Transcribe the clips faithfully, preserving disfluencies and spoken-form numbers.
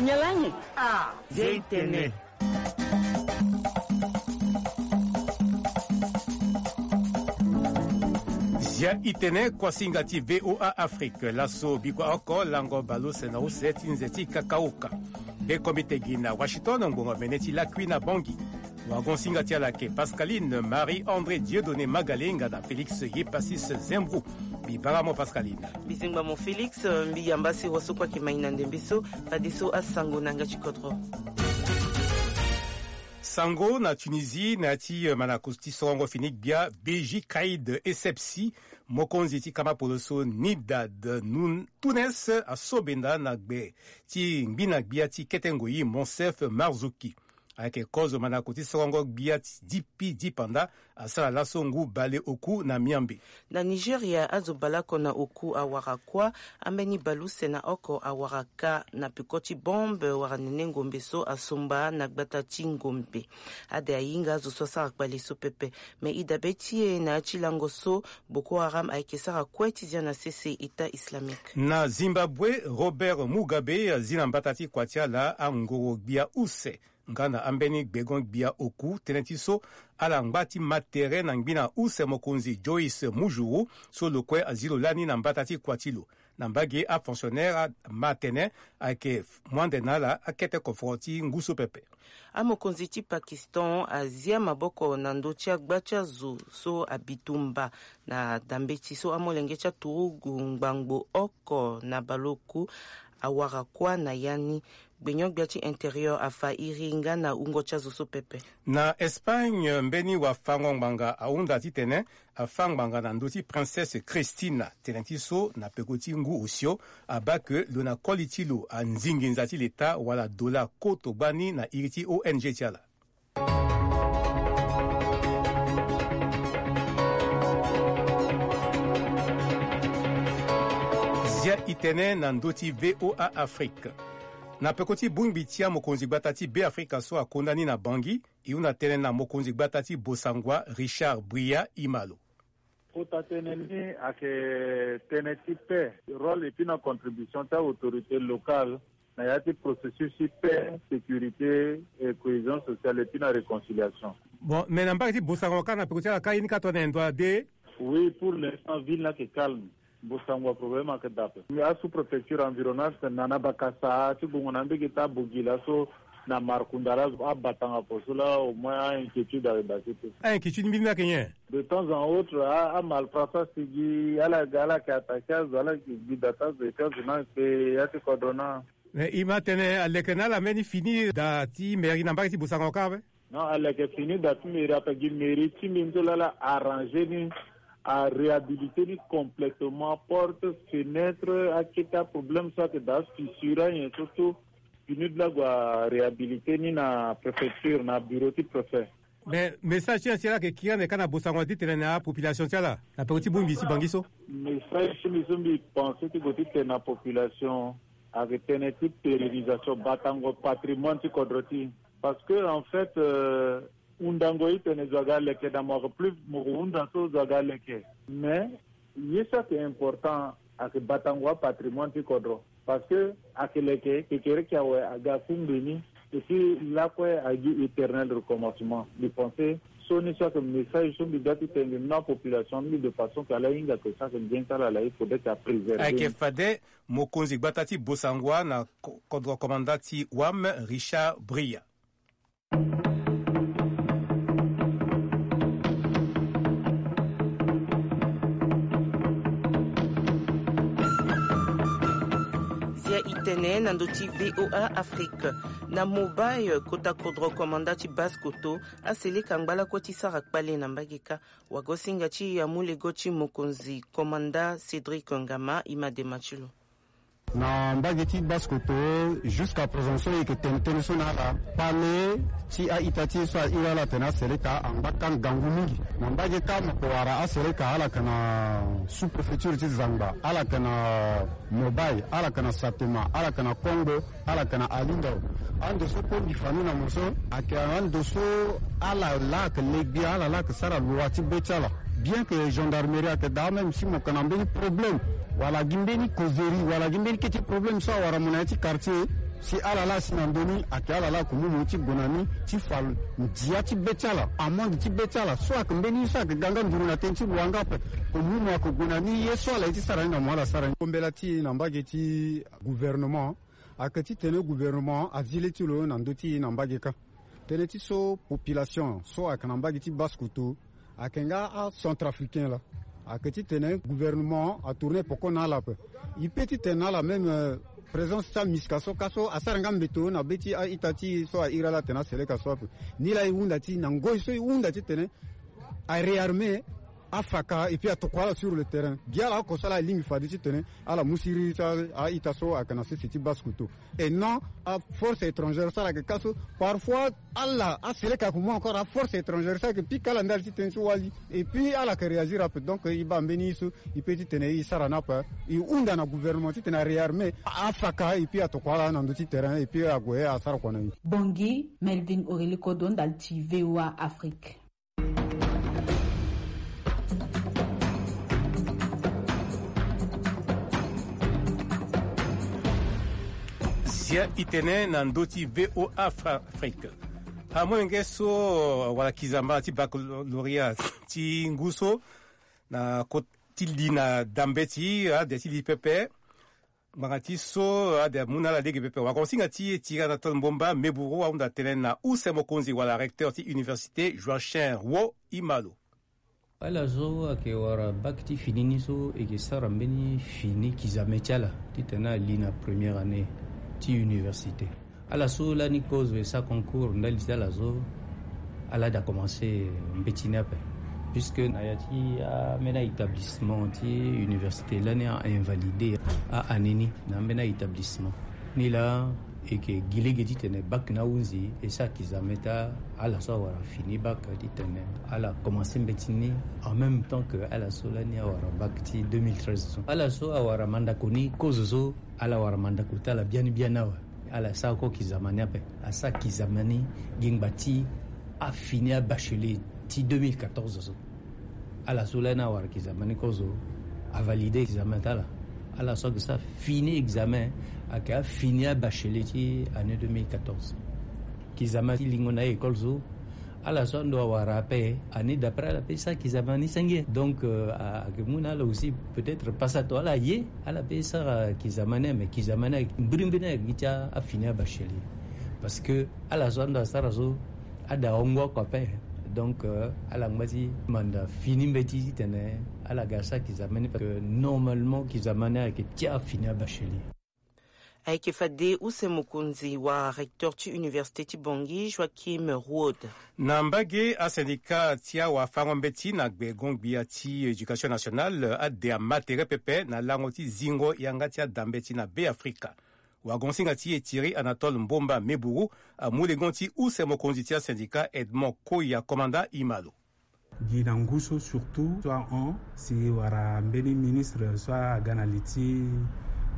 Nyalange. Ah, zia itene. Zia itene, kuasinga ti VOA Afrique. Laso bikua oko lango baleuse na use ti nze ti kakaoka. Be kombite gi na Washington, ngbongo mene ti lakui na Bangui. Wagon singa ti ala ayeke Pascaline Marie André Dieudonné Magalenga na Félix Yepasis Zembrou. Mbi bara mo Pascaline. Mbi zingba mo Félix, mbi yamba si waso kue ayeke mai na ndembe so, fadeso asango na yanga ti kodro. Sango na Tunisie, na ya ti, eh, manako ti sorongo fini gbia, Beji Kaïd Essebsi, mokonzi ti kama poloso Nidad Nun-, Tounes, asobenda na gbe ti ngbina gbia ti kete ngoi Monsef Marzouki. Ayeke kozo manako ti sorongo gbia ti dipi dipanda asara laso ngu bale oku na Miambe. Na Nigeria, azo baleoko na oku awara kuâ, ambeni baleuse na oko awara kâ na peko ti bombe wala nene ngombe so asomba na gbata ti ngombe. Ade ahinga azo so asara kpale so pepe. Me e dabe ti e na ya ti lango so, Boko Haram ayeke sara kue ti zia na sese État islamique. Na Zimbabwe, Robert Mugabe azi na mbata ti kua ti ala angoro gbia use nga na ambeni gbegon gbia oku, tënë ti so ala ngba ti ma tere na ngbina use mokonzi Joyce Mujuru, so lo kue azi lo lani na mbata ti kua ti lo. Na mbage, afonctionnaire ama tene ayeke muande na ala akete koforo ti ngu so pepe. Amokonzi ti Pakistan azia maboko na ndö ti agba ti azo so abitumba na dambeti so amolenge ti aturugu ngbangbo oko na baleoku awara kuâ na ya ni. Gbenyo-gbia ti intérieur afa iri nga na wungo ti azo so pepe. Na Espagne, mbeni wafango ngbanga ahunda titene afa ngbanga na ndö ti Princesse Christina. Tene ti so, na peko ti ngu osio, abaa ke lo na koli ti lo anzingi nza ti leta wala dollar koto gbani na iri ti O N G ti ala. Zia itene na ndö ti V O A Afrique. Na peko ti bongbi ti amokonzi gbata ti Beafrika so akonda ni na Bangui, e hunda tënë na mokonzi gbata ti Bossangoa, Richard Bria Imalo. Kota tënë ni ayeke tënë ti paix, rôle et puis na contribution ti autorité locale na ya ti processus ti paix, sécurité et cohésion sociale et puis na réconciliation. Bon, mais na mbage ti Bossangoa kâ, na peko ti ala kâ, ye ni kâ tongana nyen, ndo ade? Oui, pour l'instant ville ni ayeke calme. Bossangoa problème ayeke dape. Asous-préfecture environnante na, na Bakassa ti gongo na mbege ti Abogila so na Markounda la, abatanga apo so la, au moins a-inquiétude ayeke daa ti te. A-inquiétude mbeni ni ayeke nyen? De temps en autre, a, amalfrats asigi, ala ga, ala yeke attaquer azo, ala yeke gi da ti azo, et puis azo ni ayeke ya ti kodro ni. Mais e ma tene aleke na ala mbeni fini da ti mairie na mbage ti Bossangoa kâ ape? Non, aleke fini da ti mairie ape, gi mairie ti mbi ni so la, ala arranger ni, aréhabiliter ni complètement, porte, fenêtre, akete aproblème so ayeke daa, fissure, anyen so so, fini de la gue aréhabiliter ni na préfecture, na bureau ti préfet. Mais message ti ala ti ala ayeke kiri ande kâ na Bossangoa ti tene na apopulation ti ala na peko ti bongbi ti Bangui so? Message ti mbi so mbi pense ti gue ti tene na population ayeke tënë ti pérennisation, batango patrimoine ti kodro ti. Parce que en fait, euh, hundango e tene zo aga aleke, na mo yeke plus mo ko hunda so zo aga aleke. Mais ye so ayeke important ayeke batango apatrimoine ti kodro. Parce que ayeke leke, kekereke awe aga kungbe ni, et puis lakue agi éternel recommencement. Mbi pense so ni so ayeke message so mbi ga ti tene na population ni, de façon que ala hinga que so ayeke bien ti ala, ala il faudrait que apréserver. Ayeke fade mokonzi gbata ti Bossangoa na ko-, kodro komanda ti Wam, Richard Bria. Zia itene na ndö ti V O A Afrique. Na Mobay, kota kodro komanda ti Basse-Kotto aseleka ngba lakue ti sara kpale na mbage kâ. Wagosinga ti amolenge ti mokonzi komanda Cédric Ngama, e ma dema ti lo. Na mbage ti Basse-Kotto, jusqu'à présent so e yeke tene tënë so na ala, kpale ti a-ita ti e so a iri ala atene aseleka angba kâ ngangu mingi. Na mbage kâ mo ko wara aseleka ala yeke na sous-préfecture ti Zangba, ala yeke na Mobay, ala yeke na Satema, ala yeke na Kongo, ala yeke na Alingao. Ando so kue mbi fa ni na mo so ayeke ando so ala laa ayeke legbi, ala laa ayeke sara loi ti be ti ala. Bien que gendarmerie ayeke daa, même si mo yeke na mbeni problème wala gi mbeni causerie wala gi mbeni kete problème so awara mo na ya ti quartier, Si ala laa asi na ndö ni ayeke ala laa ayeke mu mo ti gue na ni ti fa ndia ti be ti ala, amande ti be ti ala so ayeke mbeni ye so ayeke ga nga nduru na tënë ti lo yanga ape. Ayeke mu mo ayeke gue na ni ye so ala ye ti sara ni na mo ala sara ni. Kombela ti e na mbage ti gouvernement ayeke titene gouvernement azi le ti lo na ndö ti e na mbage kâ. Tënë ti so population so ayeke na mbage ti Basse-Kotto ayeke nga acentrafricain laa, ayeke titene gouvernement atourne poko na ala ape. E peut titene na ala même présence ti aMISCA so kâ so asara nga mbeto na be ti a-ita ti e so airi ala atene aseleka so ape. Ni laa e hunda ti na ngoi so e hunda titene aréarmer afaka et puis atokua ala sur le terrain. Gi ala oko so ala alingbi fade titene ala mu siriri ti a-ita so ayeke na sese ti Basse-Kotto. Et non aforce étrangère so ala yeke kâ so. Parfois ala aseleka ayeke mu encore aforce étrangère so ayeke pika ala ndali ti tënë so wali. Et puis ala yeke réagir ape. Donc e baa mbeni ye so e peut titene e sara ni ape. E hunda na gouvernement titene aréarmer afaka et puis atokua ala na ndö ti terrain et puis ague asara kua na e. Bongi, Melvin Aurélie Kodo ndali ti VOA Afrique. Zia itene na ndö ti VOA Afrique. Amolenge so wala kizama ti baccalauréat ti ngu so na kota ti li na da mbeti ade ti li pepe. Ngbanga ti so ade amu na ala lege pepe. Wakonsinga ti e tiri Anatole Mbomba Meburu ahunda tënë na use mokonzi wala recteur ti université Joachim Wo Imalo. Ala so ayeke wara bac ti fini ni so e yeke sara mbeni fini kizame ti ala titene ali na première année ti université. Ala so lani kozo e sara concours ndali ti ala so ala da commencer mbeti ni ape. Puisque na ya ti ambeni a-établissement ti université lani a-invalidé a-année ni na ambeni a-établissement. Ni laa e yeke gi lege titene bac ni ahunzi e sara kizame ti ala so awara fini bac titene ala commencer mbeti ni en même temps que ala so lani awara bac ti deux mille treize so. Ala so awara mandako ni kozo so ala wara mandako ti ala biani biani awe. Ala sara ko kizama ni ape. Asara kizama ni gi ngba ti afini abachelier ti deux mille quatorze so. Ala so lani awara kizama ni kozo avalide examen ti ala. Ala so ayeke sara fini examen ayeke afini abachelier ti année deux mille quatorze. Kizama ti lingo na école so ala so ando awara ape ani d'après ala pe sa kizama ni senge. Donc ayeke mu na ala aussi peut-être pasa to ala ye ala pe sara kizama ni ame kizama ni ayeke mbirimbiri ni ayeke gi ti afini abachelier. Parce que ala so ando asara so ada hongo oko ape. Donc ala ngba ti manda fini mbeti titene ala ga sara kizama ni parce que normalement kizama ni ayeke ti afini abachelier. Ayeke fade use mokonzi wala recteur ti université ti Bangui Joachim Road. Na mbage asyndicat ti awafango-mbeti na gbe gongbia ti éducation nationale ade ama tere pepe na lango ti zingo yanga ti ada mbeti na Be Afrika. Wagonsinga ti e Thierry Anatole Mbomba Meburu amu lengo ti use mokonzi ti asyndicat Edmond Koya Komanda Imalo. Gi na ngu so surtout so ahon si wara mbeni ministre so aga na li ti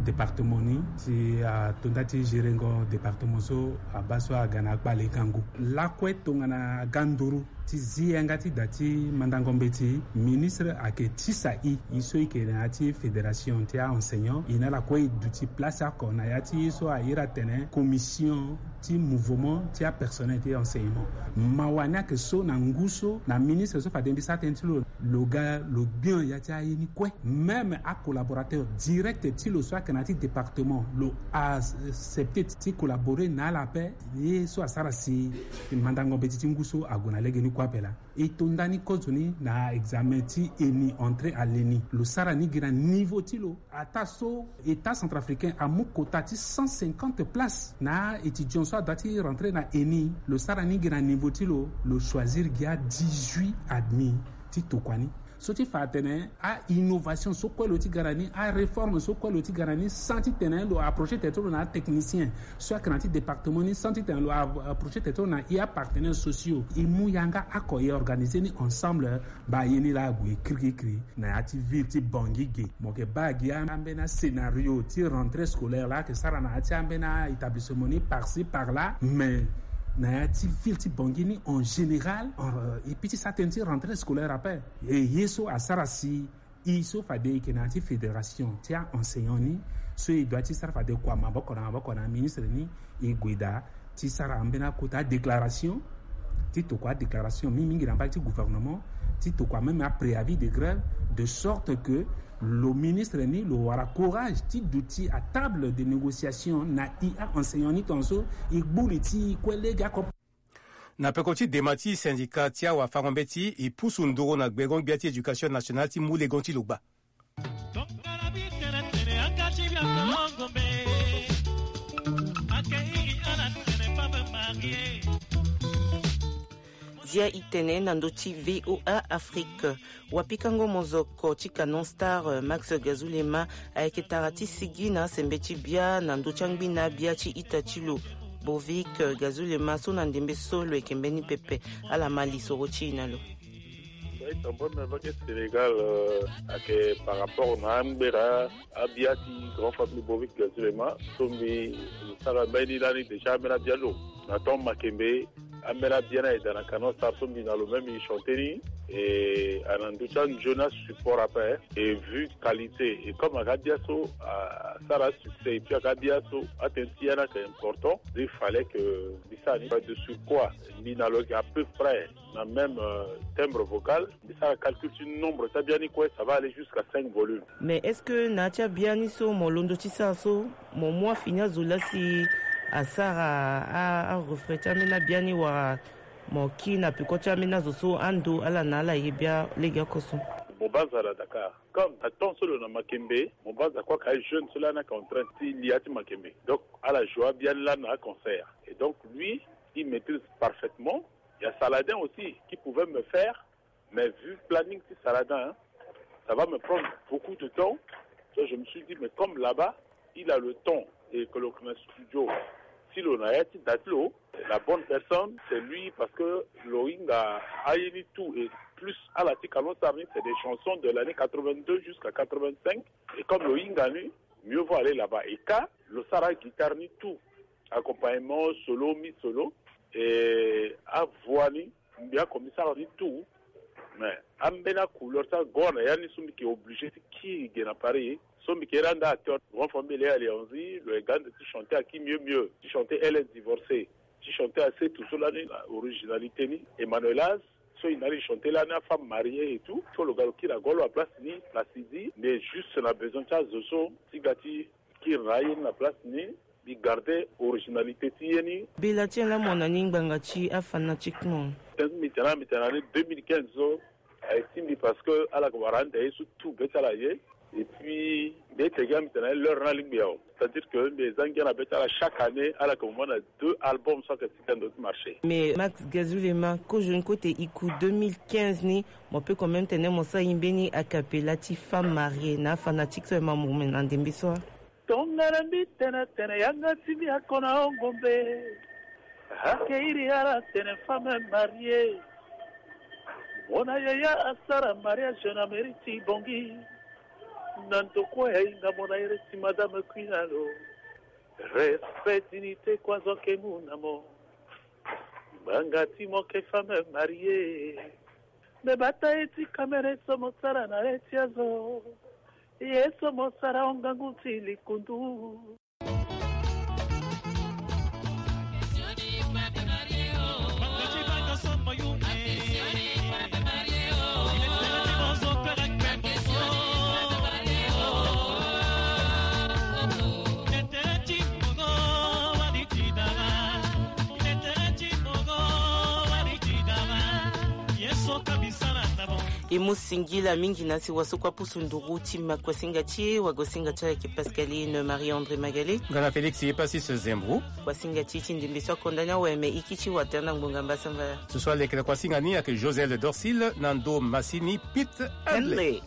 département ni si atonda ti gérengo département so abaa so aga na akpale kangu lakue tongana aga nduru ti zi yanga ti da ti mandango mbeti. Ministre ayeke tisa i i so i yeke na ya ti fédération ti aenseignant i na ala kue i duti place oko na ya ti i so airi atene commission ti mouvement ti apersonnel ti enseignement. Mawa ni ayeke so na ngu so na ministre so fade mbi sara tënë ti lo lo ga lo gbia ya ti aye ni kue. Même acollaborateur direct ti lo so ayeke na ya ti département lo accepte ti collaborer na ala ape. Ye so asara si mandango mbeti ti ngu so ague na lege ni kue ape laa. E to ndani kozo ni na examen ti eni entrée à l'eni lo sara ni gi na niveau ti lo. Ataa so état centrafricain amu quota ti cent cinquante places na aétudiant so adoit ti rentrer na eni lo sara ni gi na niveau ti lo. Lo choisir gi a dix-huit admis ti tokua ni. So ti fa atene a-innovation so kue lo ti ga na ni aréforme so kue lo ti ga na ni sans titene lo approcher tere ti lo na atechnicien so ayeke na ya ti département ni sans titene lo approcher tere ti lo na i apartenaire sociaux. E mu yanga oko e organiser ni ensemble. Baa ye ni laa ague kirikiri na ya ti ville ti Bangui ge. Mo yeke baa gi ambeni ascénario ti rentrée scolaire laa ayeke sara na ya ti ambeni aétablissement ni par ci par là mais na ya ti ville ti Bangui ni en général e pi ti sara tënë ti rentrée scolaire ape. E ye so asara si E so fade e yeke na ya ti fédération ti a-enseignant ni, so e doit ti sara fade kua maboko na maboko na ministre ni, e gue daa ti sara ambeni akota déclaration ti tokua adéclaration mingi mingi na mbage ti gouvernement, ti tokua même apréavis de grève, de sorte que lo ministre ni lo wara courage ti duti à table de négociation na e a-enseignant ni tongaso e gbu li ti e kue lege ako. Na peko ti dema ti syndicat ti awafango-mbeti, e pusu nduru na gbengo-gbia ti éducation nationale ti mu legon ti lo gba. Zia e tene na ndö ti V O A Afrique. Wapikango mozoko ti Canon Star, Max Gazulema, ayeke tara ti sigi na sembe ti bia na ndö ti angbina bia ti ita ti lo, Bovic Gazulema, so na ndembe so lo yeke mbeni pepe. Ala ma lisoro ti e na lo. Ita mbonda vake Sénégal, euh, ayeke par rapport na angbera abia ti grand famille Bovic Gazulema, so mbi sara mbeni lani déjà ambeni abia lo. Na temps Makembe, ambeni abia ni ayeke daa na Canon Star so mbi na lo même e chanté ni. E ana ndö ti anzoni asupport ape. Et vu qualité, et comme ayeke abia so asara succès, et puis ayeke abia so atene ti ya ni ayeke important, il fallait que mbi sara ni. De surcroît, mbi na lo yeke à peu près na même, euh, timbre vocal. Mbi sara calcul ti nombre ti abia ni kue, ça va aller jusqu'à cinq volumes. Mais est-ce que na ya ti abia ni so mo londo ti sara so, mo mu afini azo laa si asara a, a refrain ti ambeni abia ni, wala mo kiri na peko ti ambeni azo so ando ala na ala ye bia legeoko so? Mo banza na Dakar. Comme na temps so lo na Makembe, mo banza kue ayeke ajeune so lani ayeke en train ti li ya ti Makembe. Donc ala joue abia ni lani na aconcert. Et donc lui, il maîtrise parfaitement. Il y a Saladin aussi qui pouvait me faire, mais vu planning ti Saladin, hein, ça va me prendre beaucoup de temps. Donc je me suis dit, mais comme là-bas, il a le temps et que lo yeke na studio, si lo na ya ti da ti lo, la bonne personne, c'est lui, parce que lo hinga aye ni tout, et plus ala ti Canon Star ni, c'est des chansons de l'année quatre-vingt-deux jusqu'à quatre-vingt-cinq. Et comme lo hinga ni, mieux vaut aller là-bas. Et ka lo sara guitare ni tout, accompagnement, solo, mi solo, et avoix ni, mbi ako mbi sara ni tout. Mais ambeni acouleur ti ago na ya ni so mbi yeke obligé ti kiri ge na Paris. So mbi yeke rendre acteur, grand famille Léa Léonzi, lo yeke ga ande ti chanter aki mieux mieux, ti chanter Elle est divorcée, ti chanter Asetu so lani na originalité ni, Emmanuel Az, so e na ala e chanter lani, Afemme mariée et tout. So lo ga lo kiri ago lo na place ni, Placidi, mais juste na besoin ti azo so ti ga ti kiri na aye ni na place ni, mbi garder originalité ti ye ni. Bela ti ala mo na ni ngbanga ti afanatique mo. Tënë ti mbi tene, mbi tene na ni deux mille quinze so aye ti mbi parce que ala yeke wara ande ye so tout be ti ala aye. Et puis mbi ye tene gi mbi tene na ni l'heure ni alingbi awe. C'est-à-dire que mbi ye za ngia na be ti ala, chaque année ala yeke mo na deux albums so ayeke ti ga ndo ti marché. Mais Max Gazulema, kozoni kue te e ku deux mille quinze ni, mo peut quand même tene mo sara e mbeni a cappella ti Femme mariée na afanatique so aye ma mo na ndembe so. Tongana mbi tene atene yanga ti mbi ako na hon ngombe, ake iri ala atene Femme mariée. Mo na yaya asara mariage na mairie ti Bangui. Na ndo kue ahinga mo na iri ti Madame Queen na lo. Respect, dignité kue azo ake mu na mo. Ngbanga ti mo ake Femme mariée. Me bata ye ti kamere so mo sara na ye ti azo. Ye so mo sara hon ngangu ti likundu. E mu singila mingi na si wa so kue apusu nduru ti makuasinga ti e, wagosinga ti ala ayeke Pascaline Marie André Magalé. Nga na Félix Epasis Zembro. Kuasinga ti e ti ndembe so akonda ni awe, me e kiri ti watene na ngbonga mbasambala. So so aleke na kuasinga ni ayeke Josel Dorsil na ndo masini Pete Henley.